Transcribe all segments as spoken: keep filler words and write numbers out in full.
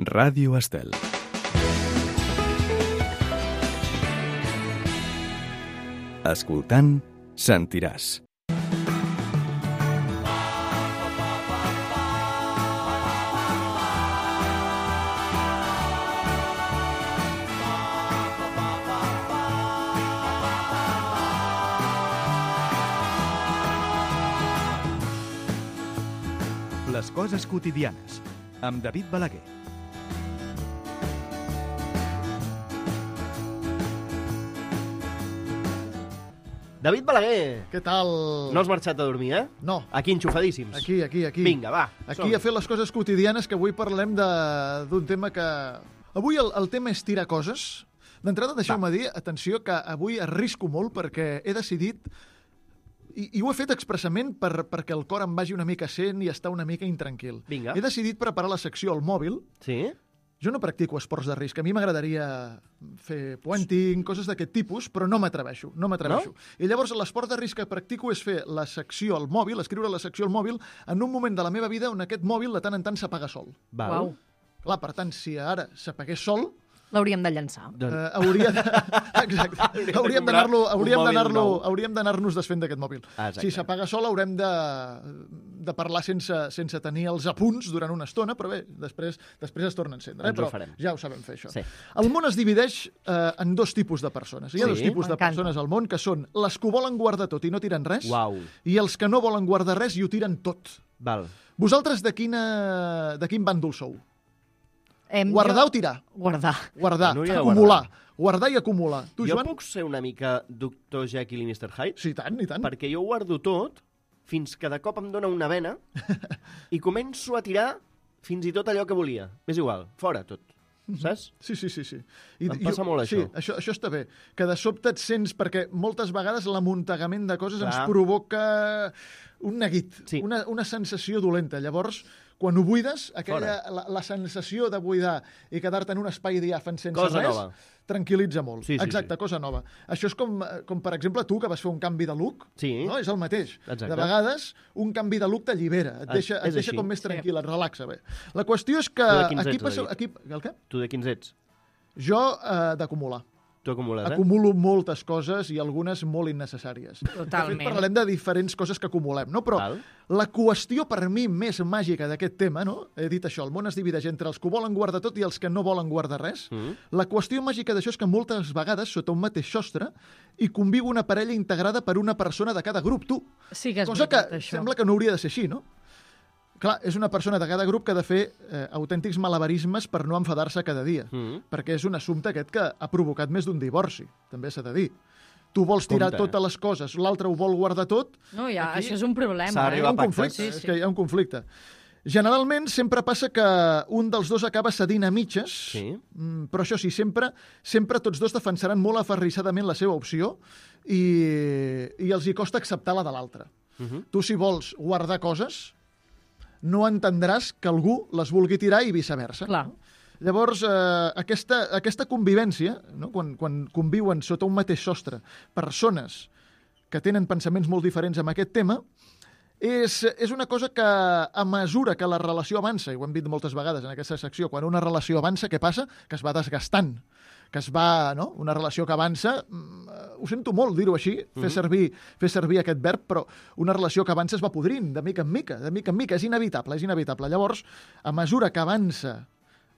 Ràdio Estel. Escoltant, sentiràs. Les coses quotidianes, amb David Balaguer. David Balaguer! Què tal? No has marxat a dormir, eh? No. Aquí enxufadíssims. Aquí, aquí, aquí. Vinga, va. Aquí som-hi. a fer les coses quotidianes, que avui parlem de- d'un tema que... Avui el, el tema és tirar coses. D'entrada, deixeu-me dir, atenció, que avui arrisco molt perquè he decidit, i, i ho he fet expressament per, perquè el cor em vagi una mica sent i estar una mica intranquil. Vinga. He decidit preparar la secció al mòbil. Sí? Jo no practico esports de risc. A mi m'agradaria fer puenting, coses d'aquest tipus, però no m'atreveixo, no m'atreveixo. No? I llavors l'esport de risc que practico és fer la secció al mòbil, escriure la secció al mòbil, en un moment de la meva vida on aquest mòbil de tant en tant s'apaga sol. Val. Uau. Clar, per tant, si ara s'apagués sol, L'hauríem de llançar. Doncs... eh, hauria de... Exacte. de Hauríem comprar d'anar-lo, un hauríem mòbil d'anar-lo, nou. hauríem d'anar-nos desfent d'aquest mòbil. Ah, exacte. Si s'apaga sol, haurem de, de parlar sense, sense tenir els apunts durant una estona, però bé, després, després es torna a encendre. Eh? Ens ho Però farem. ja ho sabem fer, això. Sí. El món es divideix eh, en dos tipus de persones. Hi ha Sí? dos tipus de M'encanta. persones al món, que són les que ho volen guardar tot i no tiren res, Uau. i els que no volen guardar res i ho tiren tot. Val. Vosaltres de, quina, de quin bàndol sou? Hem Guardar jo... o tirar? Guardar. Guardar, La Núria de acumular. Guardar i acumular. Tu, Jo Joan? puc ser una mica doctor Jekyll i mister Hyde? Sí, i tant, i tant. Perquè jo ho guardo tot fins que de cop em dóna una vena i començo a tirar fins i tot allò que volia. És igual, fora tot. Saps? Sí, sí, sí. sí. Em passa molt, sí, això. això. Això està bé. Que de sobte et sents... Perquè moltes vegades l'amuntegament de coses Clar. ens provoca un neguit, Sí. una, una sensació dolenta. Llavors, quan ho buides, aquella, la, la sensació de buidar i quedar-te en un espai diàfan sense Cosa res, nova. tranquil·litza molt. Sí, sí, Exacte, sí. cosa nova. Això és com, com, per exemple, tu, que vas fer un canvi de look. Sí. No? És el mateix. Exacte. De vegades, un canvi de look t'allibera, et Ah, deixa, et és deixa així. com més tranquil, et relaxa bé. La qüestió és que Tu de quins aquí ets, passa... David? Aquí, el què? Tu de quins ets? Jo, eh, d'acumular. Tu acumules, eh? Acumulo moltes coses i algunes molt innecessàries. De fet, Totalment. parlarem de diferents coses que acumulem, no? Però Val. la qüestió per mi més màgica d'aquest tema, no? He dit això, el món es divideix entre els que ho volen guardar tot i els que no volen guardar res. Mm. La qüestió màgica d'això és que moltes vegades, sota un mateix sostre, hi conviu una parella integrada per una persona de cada grup, tu. Sí que és Cosa que veritat, això. sembla que no hauria de ser així, no? Clar, és una persona de cada grup que ha de fer eh, autèntics malabarismes per no enfadar-se cada dia. Mm. Perquè és un assumpte aquest que ha provocat més d'un divorci, també s'ha de dir. Tu vols tirar Compte. totes les coses, l'altre ho vol guardar tot, No, ja, Aquí això és un problema. s'ha eh? d'arribar hi ha un a pactes. conflicte, Sí, és sí. que hi ha un conflicte. Generalment sempre passa que un dels dos acaba cedint a mitges, Sí. mm, però això sí, sempre, sempre tots dos defensaran molt aferrissadament la seva opció i, i els hi costa acceptar la de l'altre. Mhm. Tu, si vols guardar coses, no entendràs que algú les vulgui tirar i viceversa. Clar. Llavors, eh, aquesta, aquesta convivència, no? quan, quan conviuen sota un mateix sostre persones que tenen pensaments molt diferents amb aquest tema, és, és una cosa que, a mesura que la relació avança, i ho hem dit moltes vegades en aquesta secció, quan una relació avança, què passa? Que es va desgastant, que es va, no? Una relació que avança, mm, ho sento molt dir-ho així, fer, servir, fer servir aquest verb, però una relació que avança es va podrint, de mica en mica, de mica en mica, és inevitable, és inevitable. Llavors, a mesura que avança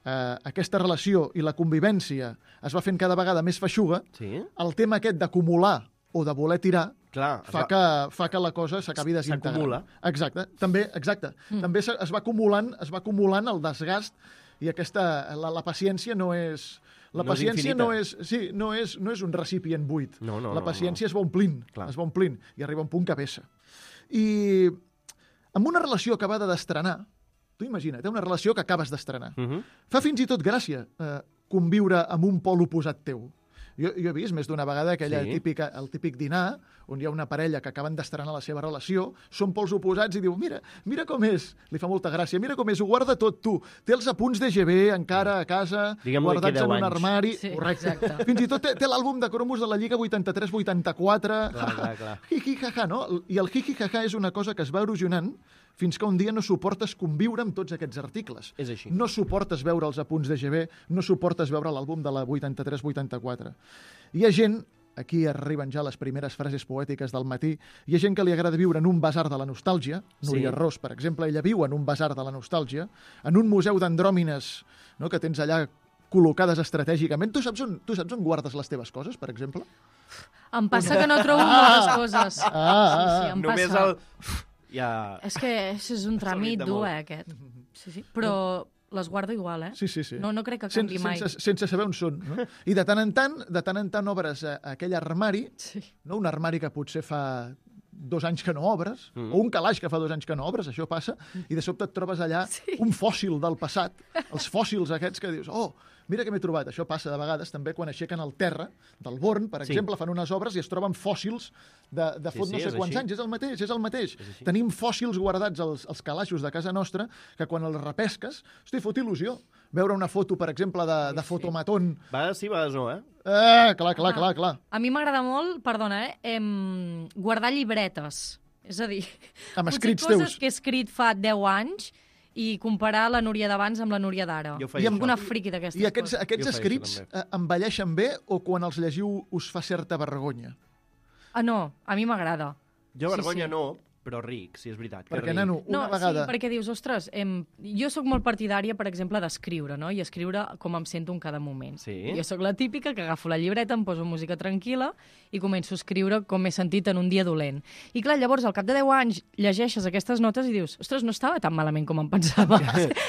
eh, aquesta relació i la convivència es va fent cada vegada més feixuga, Sí? el tema aquest d'acumular o de voler tirar Clar. fa que, fa que la cosa s'acabi desintegrant. S'acumula. Exacte. També, exacte. Mm. També es es va acumulant, es va acumulant el desgast i aquesta la, la paciència no és la No és paciència infinita. no és, sí, no és no és un recipient buit. No, no, la no, paciència es va omplint, Clar. es va omplint i arriba a un punt que vessa. I amb una relació acabada d'estrenar, tu imagina't, eh, una relació que acabes d'estrenar. Mhm. Fa fins i tot gràcia eh, conviure amb un pol oposat teu. Jo, jo he vist més d'una vegada aquella Sí. típica, el típic dinar on hi ha una parella que acaben d'estrenar la seva relació, són pols oposats i diu, mira, mira com és, li fa molta gràcia, mira com és, ho guarda tot tu, té els apunts de G B encara a casa, Diguem-li que guardats deu en un anys. armari, Sí, correcte. exacte. Fins i tot té, té l'àlbum de cromos de la Lliga vuitanta-tres vuitanta-quatre, Clar, clar, clar. hi-hi, ha-ha, no? I el hi-hi, ha-ha és una cosa que es va erosionant fins que un dia no suportes conviure amb tots aquests articles. És així. No suportes veure els apunts de G B, no suportes veure l'àlbum de la vuitanta-tres vuitanta-quatre. Hi ha gent, aquí arriben ja les primeres frases poètiques del matí, hi ha gent que li agrada viure en un basar de la nostàlgia, Núria Sí. Ros, per exemple, ella viu en un basar de la nostàlgia, en un museu d'andròmines, no?, que tens allà col·locades estratègicament. Tu saps on, tu saps on guardes les teves coses, per exemple? Em passa que no trobo moltes coses. Ah, ah, Sí, sí, ah. em Només passa. el... Ja... És que això és un tràmit de dur, molt. eh, aquest. Sí, sí. Però les guardo igual, eh? Sí, sí, sí. No, no crec que Sen- canvi mai. sense, sense saber on són. No? I de tant en tant, de tant en tant obres eh, aquell armari, Sí. no? Un armari que potser fa dos anys que no obres, Mm. o un calaix que fa dos anys que no obres, això passa, i de sobte et trobes allà Sí. un fòssil del passat, els fòssils aquests que dius, oh, mira què m'he trobat. Això passa de vegades també quan aixequen el terra del Born, per Sí. exemple, fan unes obres i es troben fòssils de, de Sí, fot sí, no sé és quants així. anys. És el mateix, és el mateix. És així. Tenim fòssils guardats als, als calaixos de casa nostra que quan els repesques, hosti, fot il·lusió. Veure una foto, per exemple, de, de sí. fotomatón. A vegades sí, a vegades no, eh? Eh, clar, clar, Ah. clar, clar. A mi m'agrada molt, perdona, eh, em, guardar llibretes. És a dir, Amb potser escrits coses teus. que he escrit fa deu anys i comparar la Núria d'abans amb la Núria d'ara. Jo I faig amb això. Una friqui d'aquestes I aquests, coses. aquests Jo faig escrits això, també. eh, envelleixen bé o quan els llegiu us fa certa vergonya? Ah, no, a mi m'agrada. Jo Sí, vergonya sí. no, però ric, si és veritat. que Perquè, ric. nano, una no, vegada... sí, perquè dius, ostres, em, jo sóc molt partidària, per exemple, d'escriure, no? I escriure com em sento en cada moment. Sí? Jo sóc la típica que agafo la llibreta, em poso música tranquil·la i començo a escriure com m'he sentit en un dia dolent. I clar, llavors, al cap de deu anys, llegeixes aquestes notes i dius, ostres, no estava tan malament com em pensava.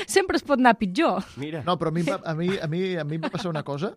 Sempre es pot anar pitjor. Mira, No, però a mi, em va- a mi, a mi, a mi em va passar una cosa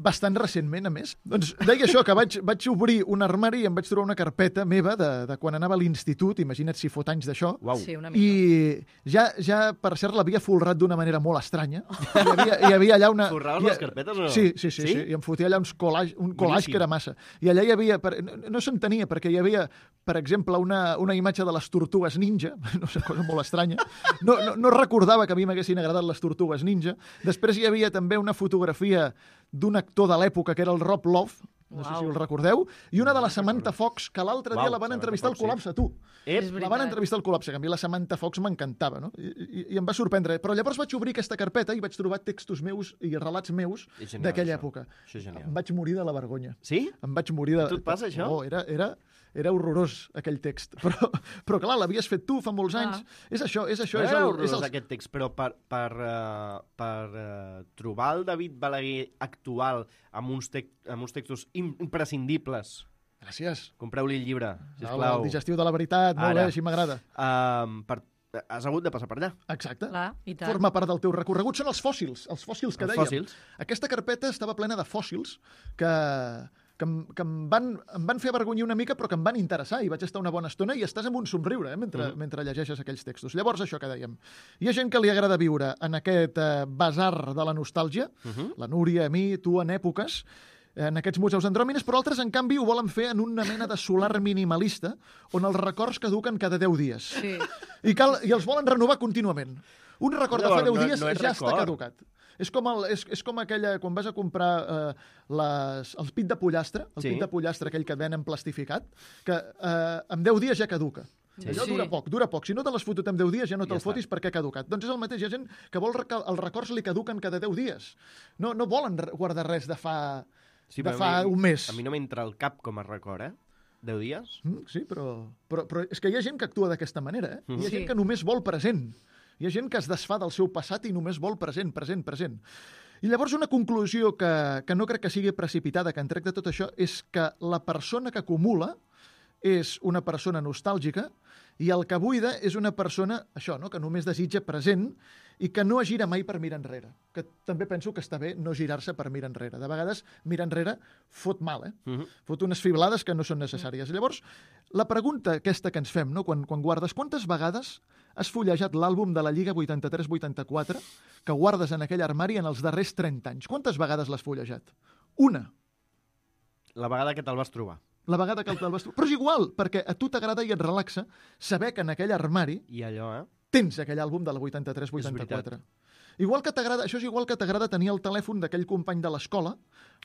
bastant recentment, a més. Doncs deia això, que vaig, vaig obrir un armari i em vaig trobar una carpeta meva de, de quan anava a l'institut, imagina't si fot anys d'això, uau. Sí, una mica. i ja, ja per cert, l'havia folrat d'una manera molt estranya. Hi havia, hi havia allà una... Forraves hi ha- les carpetes o no? Sí, sí, sí, sí? Sí? sí. I em fotia allà uns collage, un collage Boníssim. que era massa. I allà hi havia... Per, no no s'entenia, perquè hi havia, per exemple, una, una imatge de les tortugues ninja, no sé, cosa molt estranya. No, no, no recordava que a mi m'haguessin agradat les tortugues ninja. Després hi havia també una fotografia d'un actor de l'època, que era el Rob Love, no sé Uau. si el recordeu, i una de la Samantha Fox, que l'altre dia Uau, la van Samantha entrevistar al Fox, sí. Col·lapse, tu. Ep, És La van veritat. entrevistar al Col·lapse, que a mi la Samantha Fox m'encantava, no? I, i, I em va sorprendre. Però llavors vaig obrir aquesta carpeta i vaig trobar textos meus i relats meus És genial, d'aquella això. època. Això és genial. Em vaig morir de la vergonya. Sí? Em vaig morir de... A tu et passa, això? Oh, era, era, era horrorós, aquell text. Però, però clar, l'havies fet tu fa molts anys. És això, és això. No És era el, horrorós, és el... aquest text, però per, per, uh, per uh, trobar el David Balaguer actual amb uns, tec amb uns textos im imprescindibles, Gràcies. compreu-li el llibre, El, sisplau. el digestiu de la veritat, molt Ara. bé, així m'agrada. Um, per, has hagut de passar per allà. Exacte. Clar, i tant. Forma part del teu recorregut. Són els fòssils, els fòssils que Els dèiem. fòssils. Aquesta carpeta estava plena de fòssils que, que, em, que em, van, em van fer avergonyir una mica, però que em van interessar, i vaig estar una bona estona, i estàs amb un somriure eh, mentre, Mhm. mentre llegeixes aquells textos. Llavors, això que dèiem. Hi ha gent que li agrada viure en aquest eh, basar de la nostàlgia, Uh -huh. la Núria, a mi, tu, en èpoques, en aquests museus andròmines, però altres, en canvi, ho volen fer en una mena de solar minimalista, on els records caduquen cada deu dies. Sí. I, cal, I els volen renovar contínuament. Un record de fa Llavors, deu no- dies no és ja està record. caducat. És com, el, és, és com aquella, quan vas a comprar eh, les, el pit de pollastre, el Sí. pit de pollastre aquell que et venen plastificat, que eh, en deu dies ja caduca. Sí. Allò Sí. dura poc, dura poc. Si no te l'has fotut en deu dies, ja no Ja te'l està. fotis perquè ha caducat. Doncs és el mateix. Hi ha gent que vol que els records li caduquen cada deu dies. No, no volen re- guardar res de fa, Sí, de però a fa mi- un mes. A mi no m'entra al cap com a record, eh? Deu dies? Mm, sí, però, però, però és que hi ha gent que actua d'aquesta manera. Eh? Hi ha Sí. gent que només vol present. Hi ha gent que es desfà del seu passat i només vol present, present, present. I llavors una conclusió que, que no crec que sigui precipitada, que en trec de tot això, és que la persona que acumula és una persona nostàlgica i el que buida és una persona, això, no?, que només desitja present i que no es gira mai per mirar enrere. Que també penso que està bé no girar-se per mirar enrere. De vegades, mirar enrere fot mal, eh? Uh -huh. Fot unes fiblades que no són necessàries. Llavors, la pregunta aquesta que ens fem, no?, quan, quan guardes, quantes vegades has fullejat l'àlbum de la Lliga vuitanta-tres vuitanta-quatre que guardes en aquell armari en els darrers trenta anys? Quantes vegades l'has fullejat? Una. La vegada que te'l vas trobar. La vegada que te'l vas trobar. Però és igual, perquè a tu t'agrada i et relaxa saber que en aquell armari I allò, eh? tens aquell àlbum de la vuitanta-tres vuitanta-quatre. Igual que t'agrada, això és igual que t'agrada tenir el telèfon d'aquell company de l'escola,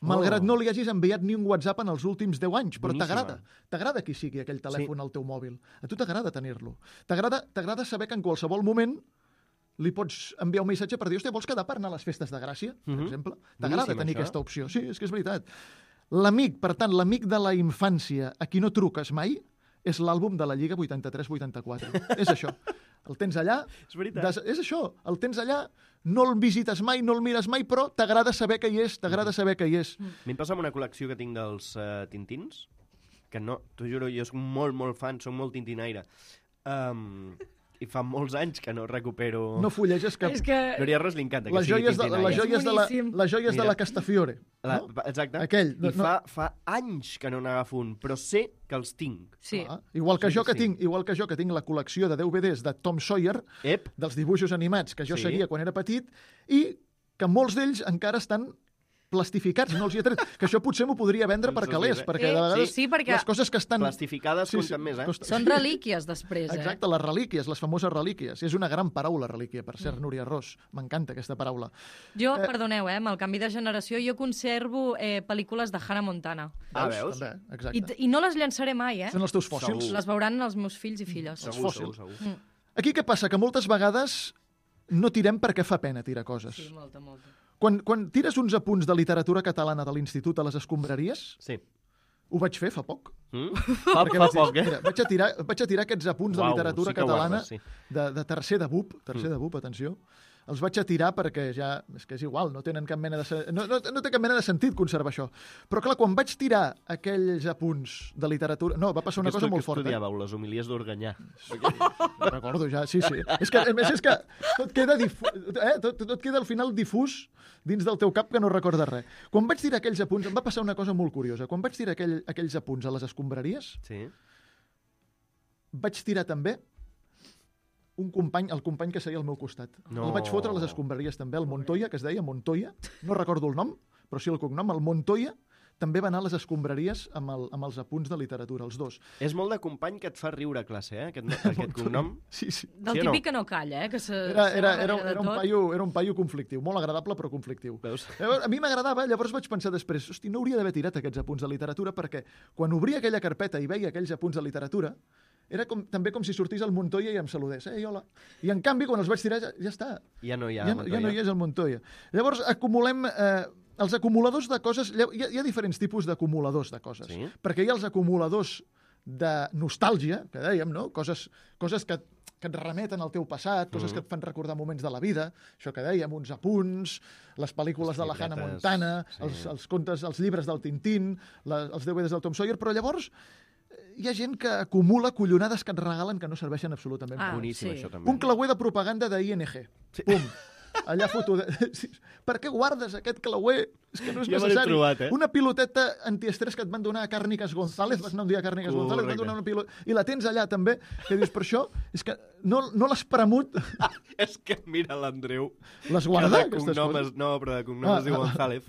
malgrat no li hagis enviat ni un WhatsApp en els últims deu anys, però Boníssima. t'agrada. T'agrada qui sigui aquell telèfon al teu mòbil. A tu t'agrada tenir-lo. T'agrada t'agrada saber que en qualsevol moment li pots enviar un missatge per dir, hòstia, vols quedar per anar a les festes de Gràcia, per Mhm. exemple? T'agrada Boníssim, tenir això. aquesta opció. Sí, és que és veritat. L'amic, per tant, l'amic de la infància a qui no truques mai és l'àlbum de la Lliga vuitanta-tres vuitanta-quatre. És això. El tens allà... És veritat. Des, és això. El tens allà, no el visites mai, no el mires mai, però t'agrada saber que hi és, t'agrada saber que hi és. A mi em passa amb una col·lecció que tinc dels uh, Tintins, que no, t'ho juro, jo soc molt, molt fan, soc molt tintinaire. Um, I fa molts anys que no recupero... No fulleges cap... És que... Núria Ros li encanta que Les sigui joies, de, tintinaire. les joies, de, la, boníssim. les joies de Mira. la Castafiore. La, No? Exacte. Aquell, no- I fa, fa anys que no n'agafo un, però sé que els tinc. Sí. Ah, igual que Sí, jo que sí. tinc, igual que jo que tinc la col·lecció de D V Ds de Tom Sawyer, Ep, dels dibuixos animats que jo Sí. seguia quan era petit, i que molts d'ells encara estan plastificats, no els hi he tret. Que això potser m'ho podria vendre per Doncs calés, mira. perquè Eh, de vegades sí, perquè- les coses que estan... plastificades Sí, sí, compten més, eh? costa- Són relíquies després, eh? Exacte, les relíquies, les famoses relíquies. És una gran paraula, relíquia, per cert, Núria Ros. M'encanta aquesta paraula. Jo, Eh, perdoneu, eh, amb el canvi de generació, jo conservo eh, pel·lícules de Hannah Montana. Ah, veus? També, I, exacte. I no les llançaré mai, eh? Són els teus fòssils. Segur. Les veuran els meus fills i filles. Segur, fòssils. segur, segur. Aquí què passa? Que moltes vegades no tirem perquè fa pena tirar coses. Sí, molta, molta. Quan, quan tires uns apunts de literatura catalana de l'institut a les escombraries, Sí. ho vaig fer fa poc. Mm? Fa, Perquè fa vaig dir, poc, eh? Mira, vaig, a tirar, vaig a tirar aquests apunts de Uau, literatura sí que catalana guardes, sí. de, de tercer de B U P, tercer de B U P, atenció, els vaig a tirar perquè ja, és que és igual, no tenen cap mena de, sen- no, no, no té cap mena de sentit conservar això. Però clar, quan vaig tirar aquells apunts de literatura... No, va passar una Que cosa estu- molt que forta. estudiàveu, les homilies d'Organyà. No recordo ja, sí, sí. És que, a més, és que tot queda, difu eh? tot, tot queda al final difús dins del teu cap que no recordes res. Quan vaig tirar aquells apunts, em va passar una cosa molt curiosa. Quan vaig tirar aquell, aquells apunts a les escombraries, Sí. vaig tirar també un company, el company que seia al meu costat. No. El vaig fotre a les escombraries també, el Montoya, que es deia Montoya, no recordo el nom, però sí el cognom, el Montoya, també va anar a les escombraries amb, el, amb els apunts de literatura, els dos. És molt de company que et fa riure a classe, eh? Aquest, no, aquest cognom. Sí, sí. Del Sí o no? típic que no calla, eh? Que se, Era, se era, va era, darrere de era, un tot. paio, era un paio conflictiu, molt agradable però conflictiu. Veus? Llavors, a mi m'agradava, llavors vaig pensar després, hosti, no hauria d'haver tirat aquests apunts de literatura perquè quan obria aquella carpeta i veia aquells apunts de literatura, era com, també com si sortís el Montoya i em saludés. Eh, hola. I en canvi, quan els vaig tirar, ja, ja està. Ja no hi ha. Ja, no- ja no hi és el Montoya. Llavors, acumulem... Eh, els acumuladors de coses... Hi ha, hi ha diferents tipus d'acumuladors de coses. Sí. Perquè hi ha els acumuladors de nostàlgia, que dèiem, no? Coses, coses que, que et remeten al teu passat, coses que et fan recordar moments de la vida, això que dèiem, uns apunts, les pel·lícules Les de la Hannah llibretes, Montana, sí. els, els contes, els llibres del Tintín, la, els D V Ds del Tom Sawyer, però llavors eh, hi ha gent que acumula collonades que et regalen que no serveixen absolutament Ah, per res. Boníssim, sí. això també. Un clauer de propaganda de I N G. Pum. Allà foto... De... Sí. Per què guardes aquest clauer? És que no és Ja me l'he necessari. trobat, eh? Una piloteta antiestrès que et van donar a Càrniques González, vas anar un dia a Càrniques Correcte. González, et van donar una pilota... I la tens allà també, que dius, per això, és que no, no l'has premut, Ah, és que mira l'Andreu. les que guarda, de aquestes cognom coses. es, no, però de cognom Ah, es diu ah. González.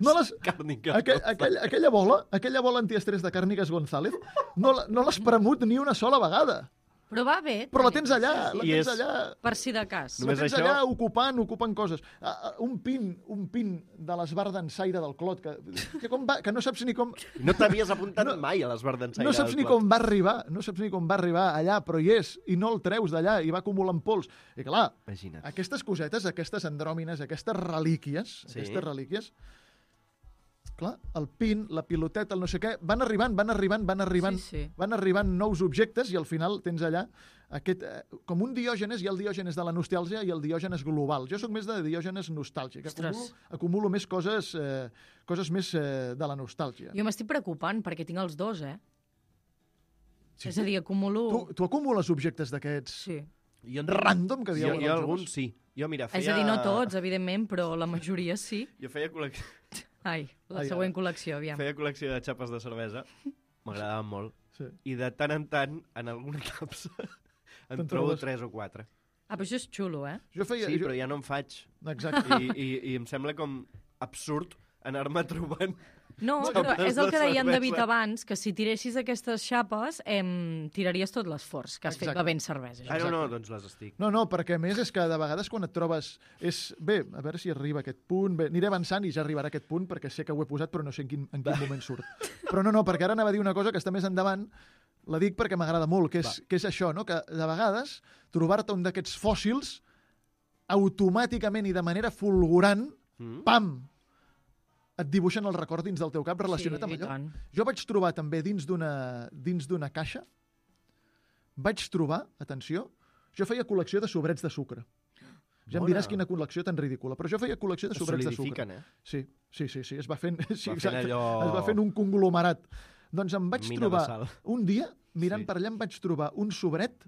No les... Càrniques Aquell, aquell, aquella bola, aquella bola antiestrès de Càrniques González, no, la- no l'has premut ni una sola vegada. Però va bé. Però la tenir- tens allà, la I tens és- allà... Per si de cas. Només la tens això- allà ocupant, ocupant coses. Uh, uh, un pin, un pin de l'esbar d'ensaire del Clot, que, que, com va, que no saps ni com... No t'havies apuntat No- mai a l'Esbar d'Ensaire. No saps ni com va arribar, no saps ni com va arribar allà, però hi és, i no el treus d'allà, i va acumulant pols. I clar, Imagina't. aquestes cosetes, aquestes andròmines, aquestes relíquies, Sí. aquestes relíquies, clar, el pin, la piloteta, el no sé què, van arribant, van arribant, van arribant, Sí, sí. van arribant nous objectes i al final tens allà aquest, eh, com un diògenes, hi ha el diògenes de la nostàlgia i el diògenes global. Jo sóc més de diògenes nostàlgic. Ostres. Acumulo, acumulo més coses, eh, coses més eh, de la nostàlgia. Jo m'estic preocupant perquè tinc els dos, eh? Sí. És a dir, acumulo... Tu, tu acumules objectes d'aquests Sí. Jo, random que jo, diuen jo els alguns joves? sí. Jo, mira, feia... És a dir, no tots, evidentment, però la majoria sí. Jo feia col·lecció, Ai, la Ai, següent ara. col·lecció, aviam. feia col·lecció de xapes de cervesa. M'agradaven molt. Sí. I de tant en tant, en alguna capsa, en Te'n trobo trobes? tres o quatre. Ah, però això és xulo, eh? Jo feia... Sí, jo... però ja no en faig. Exacte. I, i, i em sembla com absurd anar-me trobant No, No, però no, és el que no deia en serveix, David eh? abans, que si tiressis aquestes xapes, em, tiraries tot l'esforç que has fet Exacte. bevent cervesa. Ah, no, no, doncs les estic. No, no, perquè a més és que de vegades quan et trobes... És... Bé, a veure si arriba a aquest punt. Bé, aniré avançant i ja arribarà a aquest punt perquè sé que ho he posat però no sé en quin, en quin moment surt. Però no, no, perquè ara anava a dir una cosa que està més endavant, la dic perquè m'agrada molt, que és, que és això, no? Que de vegades trobar-te un d'aquests fòssils automàticament i de manera fulgurant, Mm. pam, et dibuixen el record dins del teu cap relacionat Sí, amb i allò. tant. Jo vaig trobar també dins d'una dins d'una caixa, vaig trobar, atenció, jo feia col·lecció de sobrets de sucre. Ja em Bona. diràs quina col·lecció tan ridícula, però jo feia col·lecció de Es sobrets de sucre. solidifiquen, eh? Sí, sí, sí, sí, es va fent, sí, Va fent exacte, allò- es va fent un conglomerat. Doncs em vaig Mina de trobar, sal. un dia, mirant Sí. per allà, em vaig trobar un sobret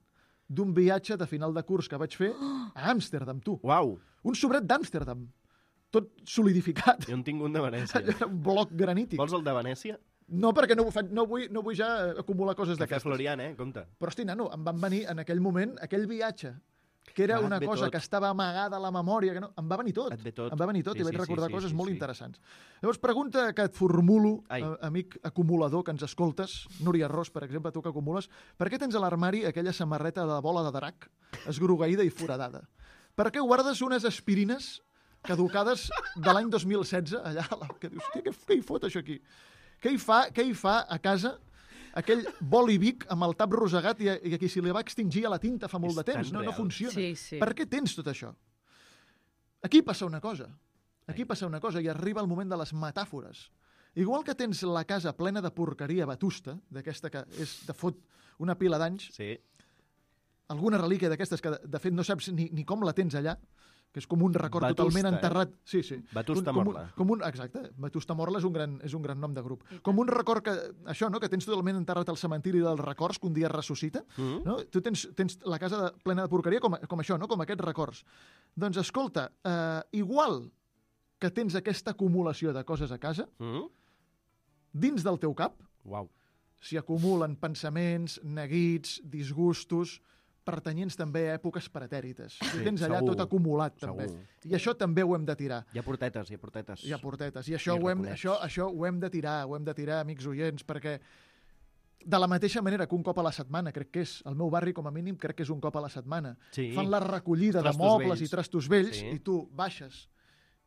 d'un viatge de final de curs que vaig fer a Amsterdam, tu. Uau, Un sobret d'Amsterdam, tot solidificat. jo en tinc un de Venècia. Allò era un bloc granític. Vols el de Venècia? No, perquè no, ho faig, no, vull, no vull ja acumular coses Cafè d'aquestes. Florian, eh? Compte. Però, hosti, nano, em van venir en aquell moment, aquell viatge, que era Ah, et una ve cosa tot. que estava amagada a la memòria, que no, em va venir tot. Et ve tot. Em va venir tot Sí, i vaig sí, sí, recordar sí, coses sí, molt sí. interessants. Llavors, pregunta que et formulo, Ai. eh, amic acumulador que ens escoltes, Núria Ros, per exemple, tu que acumules, per què tens a l'armari aquella samarreta de bola de drac, esgrogueïda i foradada? Per què guardes unes aspirines caducades de l'any dos mil setze, allà, que dius, què, què hi fot això aquí? Què hi fa, què hi fa a casa aquell boli Vic amb el tap rosegat i, i a qui se li va extingir a la tinta fa molt És de temps? tan No, no real. funciona. Sí, sí. Per què tens tot això? Aquí passa una cosa. Aquí passa una cosa i arriba el moment de les metàfores. Igual que tens la casa plena de porqueria vetusta, d'aquesta que és, de fot, una pila d'anys, Sí. alguna relíquia d'aquestes que, de, de fet, no saps ni, ni com la tens allà, que és com un record Vetusta, totalment eh? enterrat. Sí, sí. Vetusta com, Morla. Com un, com un, exacte. Vetusta Morla és un, gran, és un gran nom de grup. Com un record que, això, no? Que tens totalment enterrat al cementiri dels records que un dia ressuscita. Mm. No? Tu tens, tens la casa de, plena de porqueria com, com això, no? Com aquests records. Doncs escolta, eh, igual que tens aquesta acumulació de coses a casa, Mm? dins del teu cap Uau. s'hi acumulen pensaments, neguits, disgustos, pertanyents també a èpoques pretèrites. Sí, tens allà segur, tot acumulat, també. segur. I això també ho hem de tirar. Hi ha portetes, hi ha portetes. Hi ha portetes. I això, I ho hem, raconets. això, això ho hem de tirar, ho hem de tirar, amics oients, perquè de la mateixa manera que un cop a la setmana, crec que és, al meu barri com a mínim, crec que és un cop a la setmana, Sí. fan la recollida Trastos de mobles vells. i trastos vells Sí. i tu baixes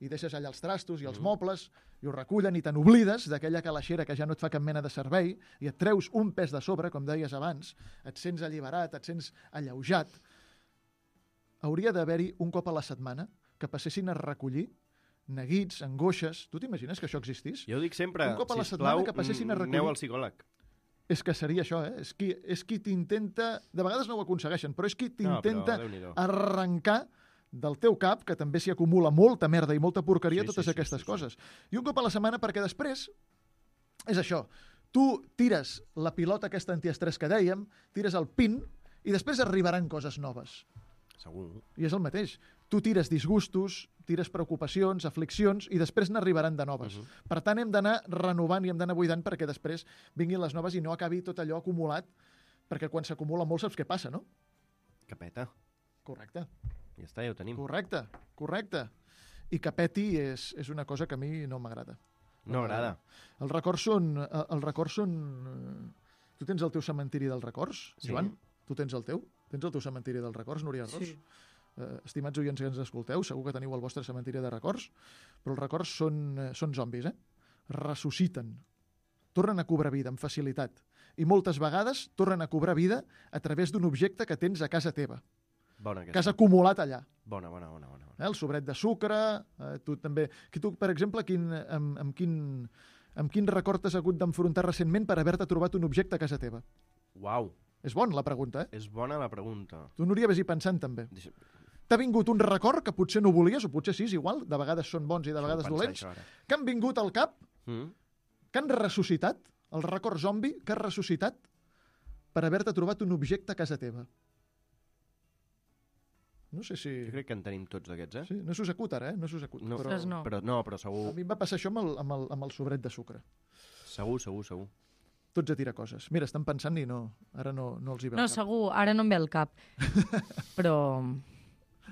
i deixes allà els trastos i els Mm. mobles i ho recullen i te n'oblides d'aquella calaixera que ja no et fa cap mena de servei i et treus un pes de sobre, com deies abans, et sents alliberat, et sents alleujat. Hauria d'haver-hi un cop a la setmana que passessin a recollir neguits, angoixes... Tu t'imagines que això existís? Jo dic sempre, Un cop a la sisplau, setmana que passessin a mm, recollir- aneu al psicòleg. És que seria això, eh? És qui, és qui t'intenta... De vegades no ho aconsegueixen, però és qui No, però t'intenta Déu-n'hi-do. arrencar del teu cap, que també s'hi acumula molta merda i molta porqueria, Sí, totes sí, sí, aquestes sí, sí. coses. I un cop a la setmana, perquè després és això. Tu tires la pilota aquesta antiestrès que dèiem, tires el pin, i després arribaran coses noves. Segur. I és el mateix. Tu tires disgustos, tires preocupacions, afliccions, i després n'arribaran de noves. Mhm. Per tant, hem d'anar renovant i hem d'anar buidant perquè després vinguin les noves i no acabi tot allò acumulat, perquè quan s'acumula molt saps què passa, no? Que peta. Correcte, Ja està, ja ho tenim. correcte, correcte. I que peti és, és una cosa que a mi no m'agrada. No agrada. Els records són... eh, Els records són... eh, Tu tens el teu cementiri dels records, Sí. Joan? Tu tens el teu? Tens el teu cementiri dels records, Núria Ros? Sí. Eh, estimats oients que ens escolteu, segur que teniu el vostre cementiri de records, però els records són, eh, són zombis, eh? Ressusciten. Tornen a cobrar vida amb facilitat. I moltes vegades tornen a cobrar vida a través d'un objecte que tens a casa teva, Bona que has aquesta. acumulat allà. Bona, bona, bona, bona. bona. Eh? El sobret de sucre, eh, tu també... Que tu, per exemple, quin, amb, amb, quin, amb quin record t'has hagut d'enfrontar recentment per haver-te trobat un objecte a casa teva? Uau, És bona la pregunta, eh? és bona la pregunta. Tu, Núria, ves-hi pensant també. Deixa... T'ha vingut un record que potser no volies, o potser sí, és igual, de vegades són bons i de vegades Pensar dolents, això ara. que han vingut al cap, Mm? que han ressuscitat, el record zombi que has ressuscitat per haver-te trobat un objecte a casa teva. No sé si... Jo crec que en tenim tots d'aquests, eh? Sí, no s'us acut ara, eh? No s'us acut. No, però Ostres, no. Però, no, però a segur, mi em va passar això amb el, amb el, amb el sobret de sucre. segur, segur, segur. Tots a tirar coses. Mira, estan pensant i no, ara no, no els hi veu No, cap. segur, ara no em ve al cap. Però...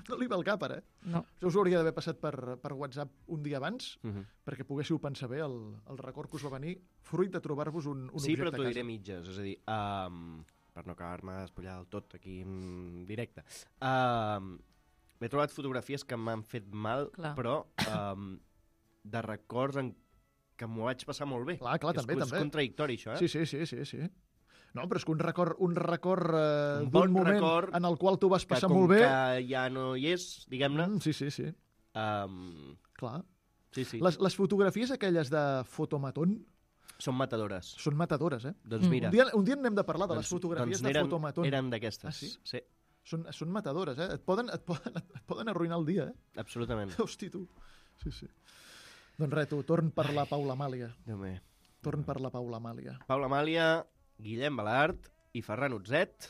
No li ve al cap, ara, eh? No. Això us hauria d'haver passat per, per WhatsApp un dia abans, Uh -huh. perquè poguéssiu pensar bé el, el record que us va venir fruit de trobar-vos un, un Sí, objecte però t'ho a diré casa. mitges, és a dir, um, per no acabar-me d'espullar del tot aquí en directe. Um, M'he trobat fotografies que m'han fet mal, Clar. però um, de records en que m'ho vaig passar molt bé. Clar, clar, és, també, és també. contradictori, això, eh? Sí, sí, sí, sí, sí. No, però és que un record, un record eh, Un d'un bon moment record en el qual tu vas que passar com molt bé... que ja no hi és, diguem-ne, Mm, sí, sí, sí, um, clar. sí, sí, Les, les fotografies aquelles de fotomatón són matadores. són matadores, eh? Doncs Mm. mira, Un dia, un dia n'hem de parlar de les doncs, fotografies doncs de eren, fotomatón. eren d'aquestes. Ah, sí? Sí, Són, són matadores, eh? Et poden, et, poden, et poden arruïnar el dia, eh? absolutament. Hosti, tu. Sí, sí. Doncs res, tu, torn per la Paula Amàlia. Déu meu. Torn per la Paula Amàlia. Paula Amàlia, Guillem Balart i Ferran Utzet,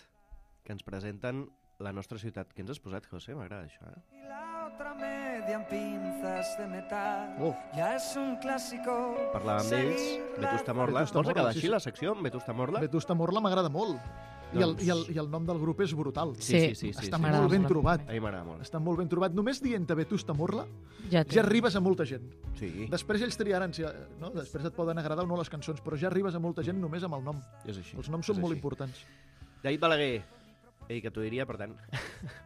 que ens presenten la nostra ciutat. Què ens has posat, José? M'agrada això, eh? Y la otra media en pinzas de metal. Oh. Ya es un clásico. Parlàvem d'ells, seguir la Vetusta Morla. Vetusta Vols Morla, acabar sí, així sí. la secció amb Vetusta Morla? Vetusta Morla m'agrada molt. I, el, Doncs- i, el, I el nom del grup és brutal. Sí, sí, sí. sí, Està sí. m'agrada molt ben molt. trobat. A mi m'agrada molt. Està molt ben trobat. Només dient-te Vetusta Morla Ja, té. ja arribes a molta gent. Sí, Després ells triaran, si, no? Després et poden agradar o no les cançons, però ja arribes a molta gent només amb el nom. és així. Els noms és són molt així. importants. David Balaguer, he dit que t'ho diria, per tant,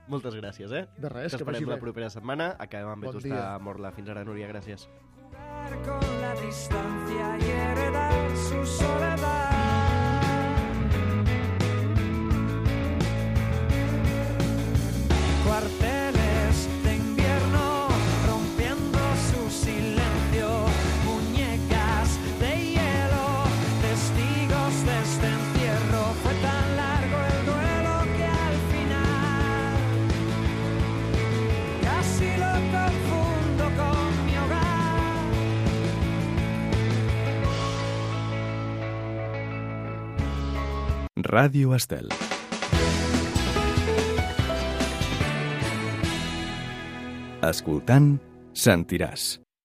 moltes gràcies, eh? De res, que vagi T'esperem la bé. propera setmana. Acabem amb Bon Vetusta dia. Morla. Fins ara, Núria, gràcies. Jugar con la distancia y heredar su soledad. Cuarteles de invierno rompiendo su silencio, muñecas de hielo, testigos de este encierro. Fue tan largo el duelo que al final casi lo confundo con mi hogar. Ràdio Estel. Escoltant, sentiràs.